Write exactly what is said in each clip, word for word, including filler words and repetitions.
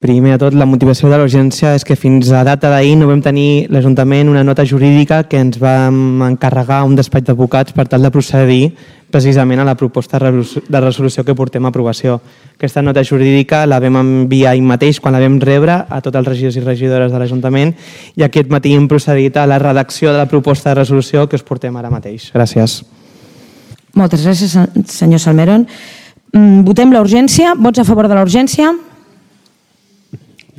Primer de tot, la motivació de l'urgència és que fins a data d'ahir no vam tenir l'Ajuntament una nota jurídica que ens va encarregar un despatx d'advocats per tal de procedir precisament a la proposta de resolució que portem a aprovació. Aquesta nota jurídica la vam enviar ahir mateix quan la vam rebre a tots els regidors i regidores de l'Ajuntament i aquest matí hem procedit a la redacció de la proposta de resolució que us portem ara mateix. Gràcies. Moltes gràcies, senyor Salmerón. Votem la urgència. Vots a favor de la urgència?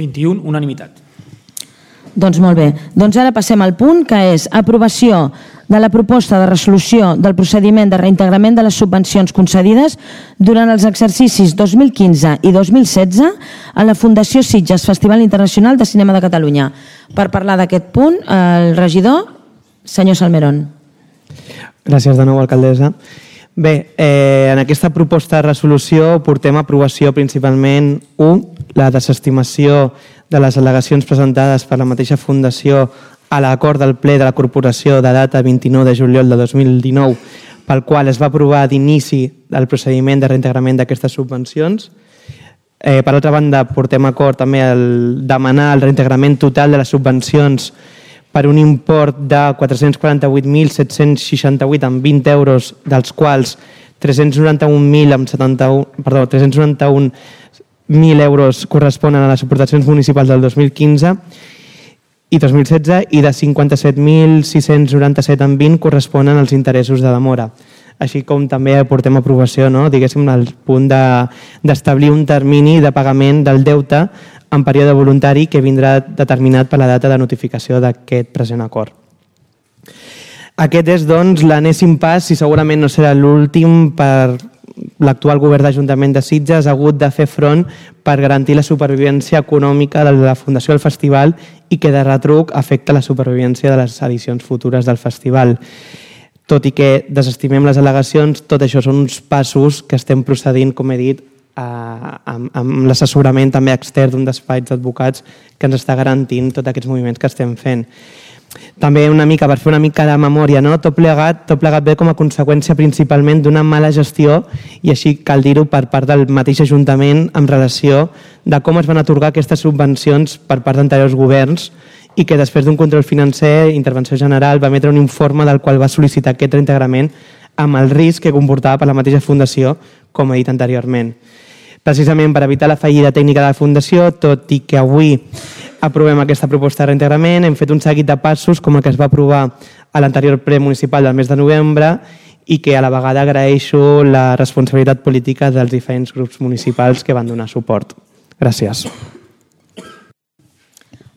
vint-i-un, unanimitat. Doncs molt bé. Doncs ara passem al punt que és aprovació de la proposta de resolució del procediment de reintegrament de les subvencions concedides durant els exercicis dos mil quinze i dos mil setze a la Fundació Sitges Festival Internacional de Cinema de Catalunya. Per parlar d'aquest punt, el regidor, senyor Salmerón. Gràcies de nou, alcaldessa. Bé, eh, en aquesta proposta de resolució portem a aprovació principalment u, la desestimació de les al·legacions presentades per la mateixa Fundació a l'acord del ple de la Corporació de data vint-i-nou de juliol de dos mil dinou, pel qual es va aprovar d'inici el procediment de reintegrament d'aquestes subvencions. Eh, per altra banda, portem a acord també el demanar el reintegrament total de les subvencions per un import de quatre-cents quaranta-vuit mil set-cents seixanta-vuit amb vint euros, dels quals tres-cents noranta-un mil amb setanta-un, perdó, tres-cents noranta-un mil euros corresponen a les aportacions municipals del dos mil quinze i dos mil setze i de cinquanta-set mil sis-cents noranta-set amb vint corresponen als interessos de demora. Així com també portem a aprovació, no? Diguéssim, el punt d'establir de, un termini de pagament del deute en període voluntari que vindrà determinat per la data de notificació d'aquest present acord. Aquest és, doncs, l'enèsim pas, i segurament no serà l'últim, per l'actual govern d'Ajuntament de Sitges ha hagut de fer front per garantir la supervivència econòmica de la Fundació del Festival i que de retruc afecta la supervivència de les edicions futures del festival. Tot i que desestimem les al·legacions, tot això són uns passos que estem procedint, com he dit, amb, amb l'assessorament també extern d'un despatx d'advocats que ens està garantint tots aquests moviments que estem fent. També una mica, per fer una mica de memòria, no? tot, plegat, tot plegat ve com a conseqüència principalment d'una mala gestió i així cal dir-ho per part del mateix Ajuntament en relació de com es van atorgar aquestes subvencions per part d'anteriors governs i que després d'un control financer, intervenció general, va emetre un informe del qual va sol·licitar aquest reintegrament amb el risc que comportava per la mateixa Fundació, com he dit anteriorment. Precisament per evitar la fallida tècnica de la Fundació, tot i que avui aprovem aquesta proposta de reintegrament, hem fet un seguit de passos com el que es va aprovar a l'anterior ple municipal del mes de novembre i que a la vegada agraeixo la responsabilitat política dels diferents grups municipals que van donar suport. Gràcies.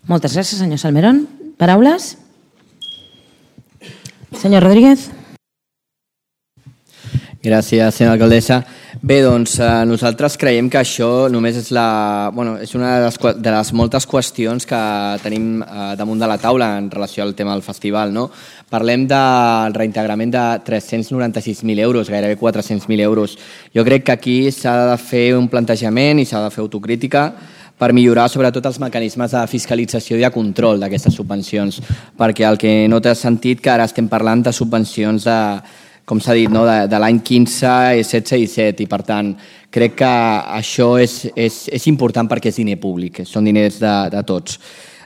Moltes gràcies, senyor Salmerón. Paraules? Senyor Rodríguez. Gràcies, senyora alcaldessa. Bé, doncs nosaltres creiem que això només és, la, bueno, és una de les, de les moltes qüestions que tenim damunt de la taula en relació al tema del festival. No? Parlem del reintegrament de tres-cents noranta-sis mil euros, gairebé quatre-cents mil euros. Jo crec que aquí s'ha de fer un plantejament i s'ha de fer autocrítica per millorar sobretot els mecanismes de fiscalització i de control d'aquestes subvencions, perquè el que no té sentit que ara estem parlant de subvencions de, com s'ha dit, no? de, de l'any quinze, setze i disset, i per tant crec que això és, és, és important perquè és diner públic, són diners de, de tots.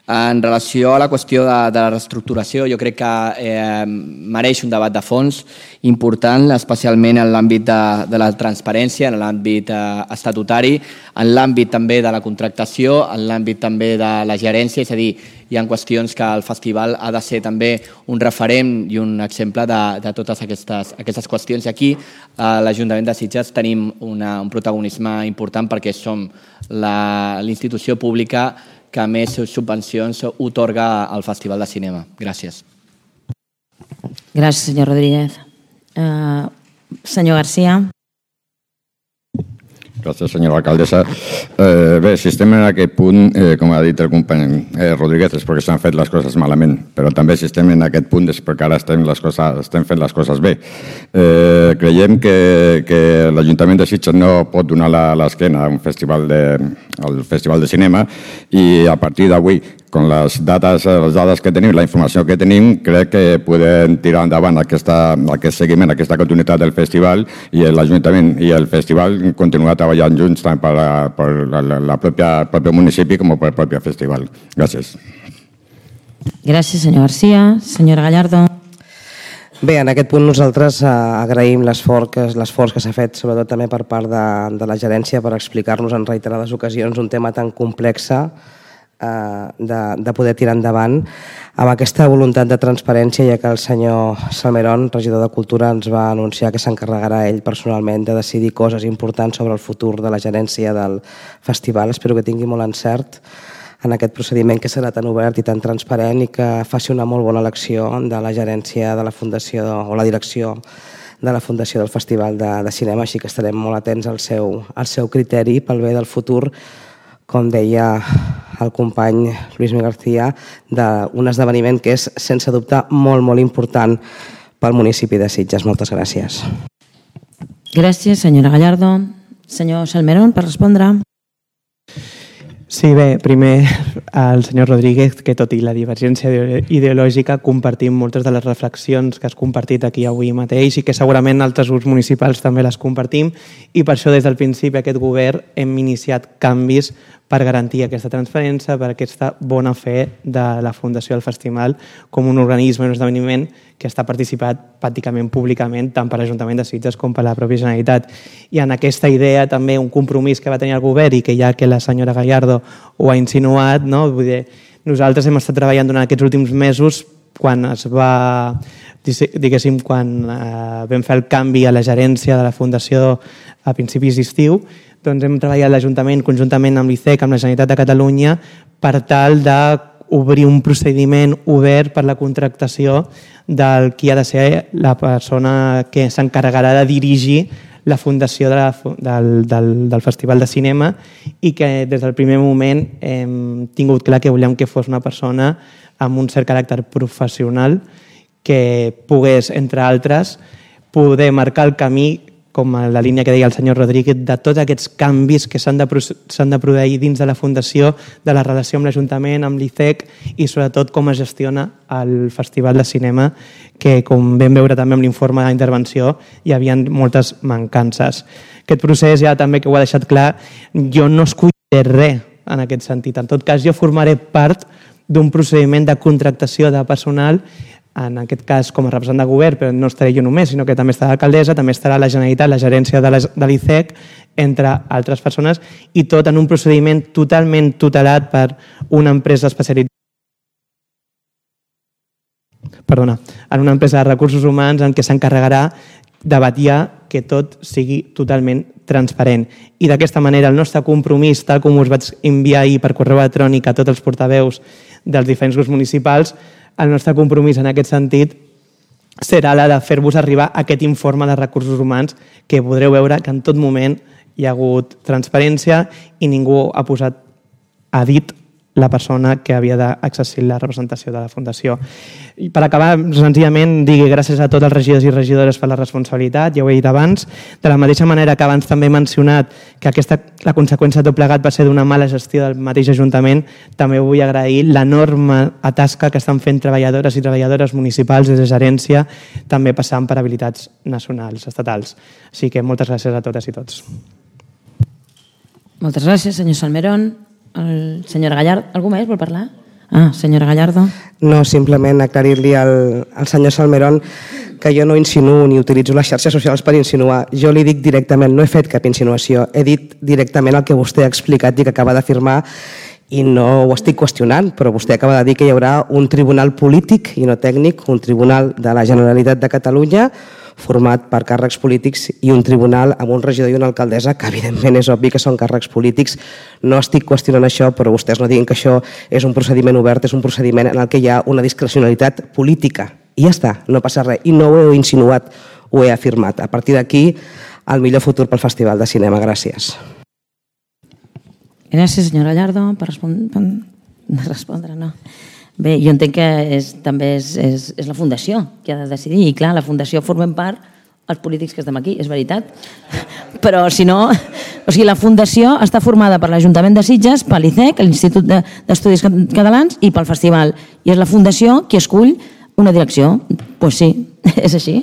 En relació a la qüestió de, de la reestructuració, jo crec que eh, mereix un debat de fons important, especialment en l'àmbit de, de la transparència, en l'àmbit eh, estatutari, en l'àmbit també de la contractació, en l'àmbit també de la gerència, és a dir, hi ha qüestions que el festival ha de ser també un referent i un exemple de, de totes aquestes, aquestes qüestions. I aquí a l'Ajuntament de Sitges tenim una, un protagonisme important perquè som l'institució pública que més subvencions otorga al Festival de Cinema. Gràcies. Gràcies, senyor Rodríguez. Uh, senyor García. Gràcies, senyora alcaldessa. Eh, bé, si estem en aquest punt, eh, com ha dit el company eh, Rodríguez, és perquè s'han fet les coses malament, però també si estem en aquest punt és perquè ara estem, les coses, estem fent les coses bé. Eh, creiem que, que l'Ajuntament de Sitges no pot donar l'esquena a un festival de, al Festival de Cinema i a partir d'avui con las dades, les dades que tenim, la informació que tenim, crec que podem tirar endavant aquesta, aquest seguiment, aquesta continuïtat del festival, i l'Ajuntament i el festival continuar treballant junts tant per, la, per la, la pròpia, el propi municipi com per el propi festival. Gràcies. Gràcies, senyor García. Senyora Gallardo. Bé, en aquest punt nosaltres eh, agraïm l'esforç que, l'esforç que s'ha fet, sobretot també per part de, de la gerència, per explicar-nos en reiterades ocasions un tema tan complex eh, de, de poder tirar endavant amb aquesta voluntat de transparència, ja que el senyor Salmerón, regidor de Cultura, ens va anunciar que s'encarregarà ell personalment de decidir coses importants sobre el futur de la gerència del festival. Espero que tingui molt encert en aquest procediment que serà tan obert i tan transparent i que faci una molt bona elecció de la gerència de la Fundació o la direcció de la Fundació del Festival de, de Cinema, així que estarem molt atents al seu, al seu criteri pel bé del futur, com deia el company Lluís Miguel García, d'un esdeveniment que és, sense dubte, molt, molt important pel municipi de Sitges. Moltes gràcies. Gràcies, senyora Gallardo. Senyor Salmerón, per respondre. Sí, bé, primer al senyor Rodríguez, que tot i la divergència ideològica compartim moltes de les reflexions que has compartit aquí avui mateix i que segurament altres grups municipals també les compartim, i per això des del principi aquest govern hem iniciat canvis per garantir aquesta transparència, per aquesta bona fe de la Fundació del Festival com un organisme, un esdeveniment que està participat pràcticament públicament tant per l'Ajuntament de Sitges com per la pròpia Generalitat. I en aquesta idea també un compromís que va tenir el govern i que ja que la senyora Gallardo ho ha insinuat, no? Vull dir, nosaltres hem estat treballant durant aquests últims mesos quan es va, diguéssim, quan eh, vam fer el canvi a la gerència de la Fundació a principis d'estiu, doncs hem treballat l'Ajuntament conjuntament amb l'I C E C, amb la Generalitat de Catalunya, per tal d'obrir un procediment obert per la contractació del qui ha de ser la persona que s'encarregarà de dirigir la fundació de la, del, del, del Festival de Cinema, i que des del primer moment hem tingut clar que volíem que fos una persona amb un cert caràcter professional que pogués, entre altres, poder marcar el camí, com la línia que deia el senyor Rodríguez, de tots aquests canvis que s'han de, s'han de produir dins de la Fundació, de la relació amb l'Ajuntament, amb l'I C E C i sobretot com es gestiona el Festival de Cinema, que com vam veure també amb l'informe d'intervenció hi havia moltes mancances. Aquest procés ja també que ho ha deixat clar, jo no escolliré res en aquest sentit. En tot cas, jo formaré part d'un procediment de contractació de personal, en aquest cas com a representant de govern, però no estaré jo només, sinó que també estarà l'alcaldessa, també estarà la Generalitat, la gerència de l'I C E C, entre altres persones, i tot en un procediment totalment tutelat per una empresa especialitzada perdona, en una empresa de recursos humans en què s'encarregarà de vetllar que tot sigui totalment transparent. I d'aquesta manera el nostre compromís, tal com us vaig enviar ahir per correu electrònic a tots els portaveus dels diferents grups municipals, el nostre compromís en aquest sentit serà la de fer-vos arribar aquest informe de recursos humans, que podreu veure que en tot moment hi ha hagut transparència i ningú ha posat a dit la persona que havia d'exercir la representació de la Fundació. I per acabar, senzillament, digui gràcies a tots els regidors i regidores per la responsabilitat, ja ho he dit abans, de la mateixa manera que abans també he mencionat que aquesta, la conseqüència de tot plegat va ser d'una mala gestió del mateix Ajuntament, també vull agrair l'enorme tasca que estan fent treballadores i treballadores municipals des de gerència, també passant per habilitats nacionals, estatals. Així que moltes gràcies a totes i tots. Moltes gràcies, senyor Salmerón. El senyora Gallardo, algú més vol parlar? Ah, senyora Gallardo. No, simplement aclarir-li al, al senyor Salmerón que jo no insinuo ni utilitzo les xarxes socials per insinuar. Jo li dic directament, no he fet cap insinuació, he dit directament el que vostè ha explicat i que acaba d'afirmar, i no ho estic qüestionant, però vostè acaba de dir que hi haurà un tribunal polític i no tècnic, un tribunal de la Generalitat de Catalunya format per càrrecs polítics i un tribunal amb un regidor i una alcaldessa, que evidentment és obvi que són càrrecs polítics. No estic qüestionant això, però vostès no diguin que això és un procediment obert, és un procediment en el que hi ha una discrecionalitat política. I ja està, no passa res. I no ho he insinuat, ho he afirmat. A partir d'aquí, el millor futur pel Festival de Cinema. Gràcies. Gràcies, senyora Gallardo, per respondre. No. Bé, jo entenc que és, també és, és, és la Fundació que ha de decidir, i clar, la Fundació formem part els polítics que estem aquí, és veritat, però si no, O sigui, la fundació està formada per l'Ajuntament de Sitges, per l'I C E C, l'Institut d'Estudis Catalans, i pel festival. I és la fundació qui escull una direcció. Doncs pues sí, és així.